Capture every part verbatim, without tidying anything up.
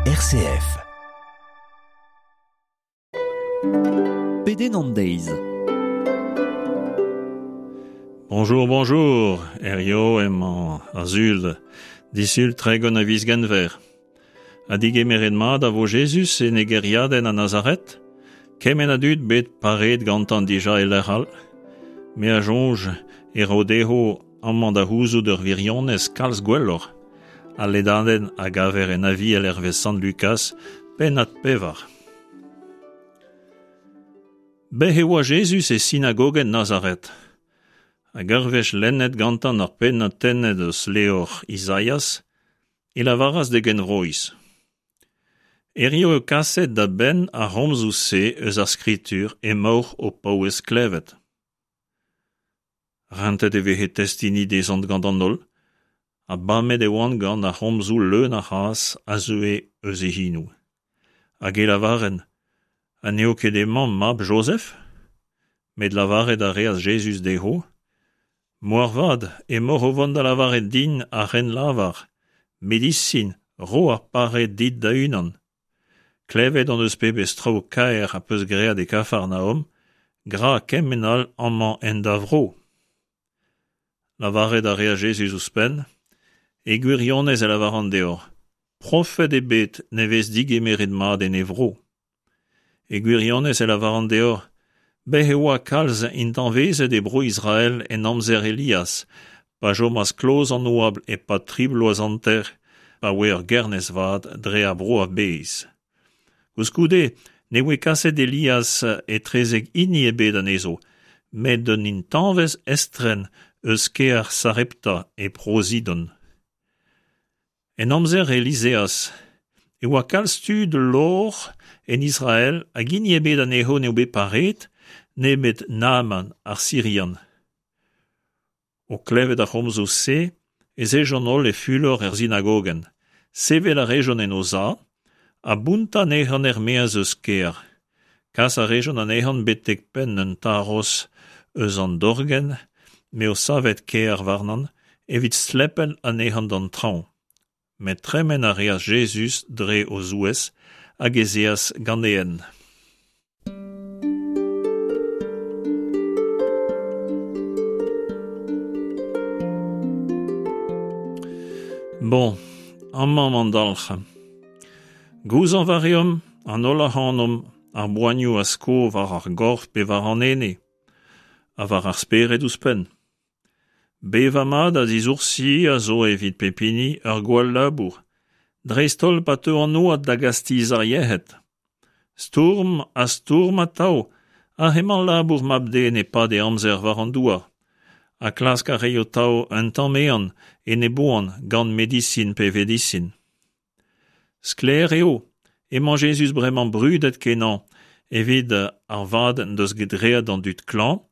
R C F. Pedenn an deiz. Bonjour, bonjour, Herrio emañ ar sul, disul tregont a viz Genver. Ha digemeret mat a vo Jezuz en e gêriadenn a Nazaret? Kement a dud bet pareet gantañ dija e lec'h all. Me a soñj e ro dezho amañ da c'houzout ur wirionez kalz gwelloc'h. Al lennadenn a gaver en Aviel hervez Sant Lukaz, pennad pevar. Bez e oa Jezuz e sinagogenn Nazaret. Hag ur wech lennet gantañ ar pennad tennet eus levr Izaias, e lavaras d'e genvroiz. Hirio eo kaset da benn ar c'homzoù-se eus ar skritur emaoc'h o paouez klevet. Rentet e veze testeni dezhañ gant an holl, ha bamet e oant gant ar c'homzoù leun a c'hras a zeue eus e c'henoù. Hag e lavarent, ha n'eo ket hemañ mab Jozef ? Met lavaret a reas Jezuz dezho, Moarvat emaoc'h o vont da lavaret din ar c'hrennlavar, medisin, ro ar pare dit da-unan. Klevet hon eus pebezh traoù kaer az peus graet e Kafarnaom, gra kement all amañ en da vro. Lavaret a reas Jezuz ouzhpenn, E gwirionez e lavaran deoc'h, profed ebet ne vez digemeret mat en e vro. E gwirionez e lavaran deoc'h, bez e oa kalz intañvezed e bro Israel en amzer Elias, pa chomas kloz an oabl e-pad tri bloaz hanter, pa oa ur gernez vat dre ar vro a-bezh. Koulskoude ne voe kaset Elias etrezek hini ebet anezho, met d'un intañvez estren eus kêr Sarepta e Bro-Sidon. En amzer Elizeaz e oa kalz tud lovr en Israel hag hini ebet anezho n'eo bet pareet, nemet Naaman ar Sirian. O klevet ar c'homzoù-se ez ejont holl e fulor er sinagogenn. Sevel a rejont en o sav ha bountañ anezhañ er-maez eus kêr. Kas a rejont anezhañ betek penn un tarroz eus an dorgenn m'eo savet kêr warnañ evit stlepel anezhañ d'an traoñ. Met tremen a reas Jezuz dre o zouez hag ez eas gant e hent. Bon, amañ emañ an dalc'h. Gouzañv a reomp, an holl ac'hanomp, ar boanioù a sko war ar gorf pe war an ene, ha war ar spered ouzhpenn. Bevañ mat ha disoursi a zo evit pep hini ur gwall labour, dreist-holl pa teu an oad da gastizañ ar yec'hed. Stourm ha stourm atav, aze emañ labour mab-den e-pad e amzer war an douar, ha klask a raio atav un tamm ehan en e boan gant medisin pe vedisin. Sklaer eo emañ Jezuz bremañ brudet-kenañ evit ar vad en deus graet d'an dud klañv,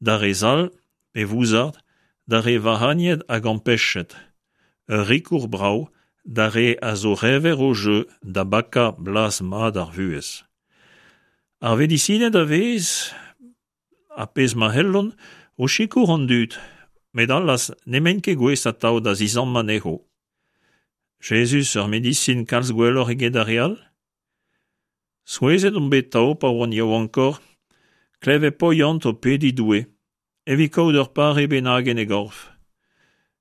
d'ar re zall pe vouzar, d'ar re vac'hagnet hag ampechet. Ur rikour brav d'ar re a zo rever o jeu da bakañ blaz mat ar vuhez. Ar vedisined a vez, ar pezh ma c'hellont, o sikour an dud, met allaz n'emaint ket gouest atav da zizammañ anezho. Jezuz ur medisin kalz gwelloc'h eget ar re all ? Souezhet on bet atav pa oan yaouankoc'h, klevet Poyant o pediñ Doue, evit kaout ur pare bennak en e gorf.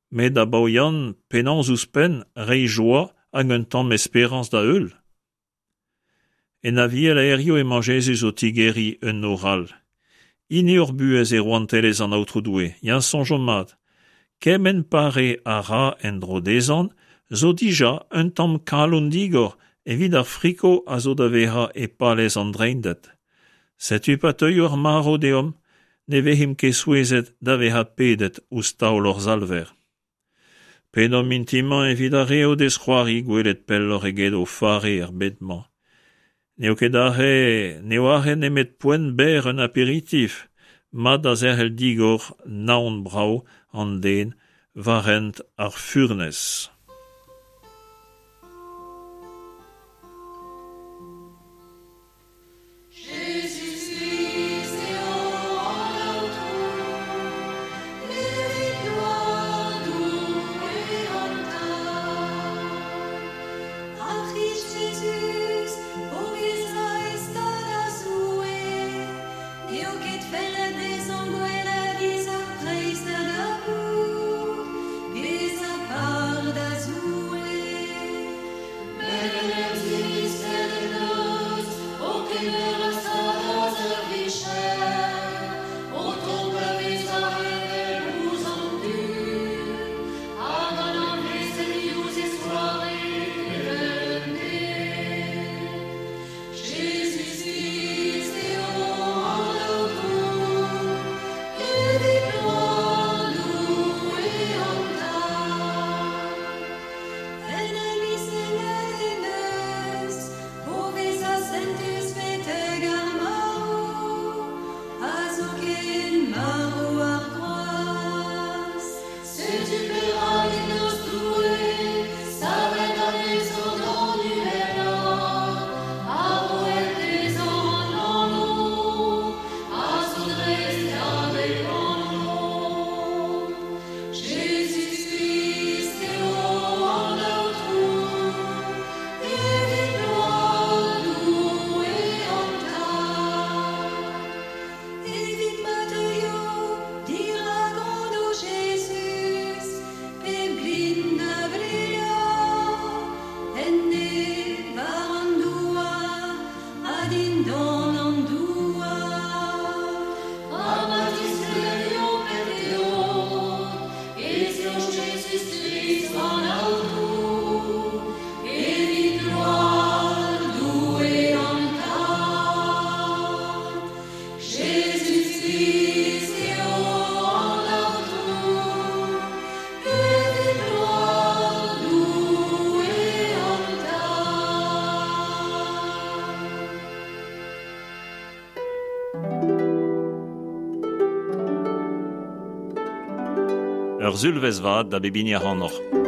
Met da Baoian penaos ouzhpenn reiñ joa hag un tamm esperañs da heul ? En Aviel a hiziv emañ Jezuz o tigeriñ un nor all. Hini hor buhez e rouantelezh an Aotrou Doue, ya soñjomp mat. Kement pare a ra en-dro dezhañ zo dija un tamm kalon digor evit ar friko a zo da vezañ e palez an Dreinded. Setu pa teuio ar marv deomp, ne vezimp ket souezhet da vezañ pedet ouzh taol hor Salver. Pedomp mintin-mañ evit ar re o dez c'hoari gwelet pelloc'h eget o fare er bed-mañ. N'eo ket aze, n'eo aze nemet poent berr un aperitif, mat da zerc'hel digor naon brav an den war hent ar furnez. Jezuz-Krist eo an Aotrou, evit gloar Doue an Tad. Ar C'hrist Ur sulvezh vat da bep hini ac'hanoc'h.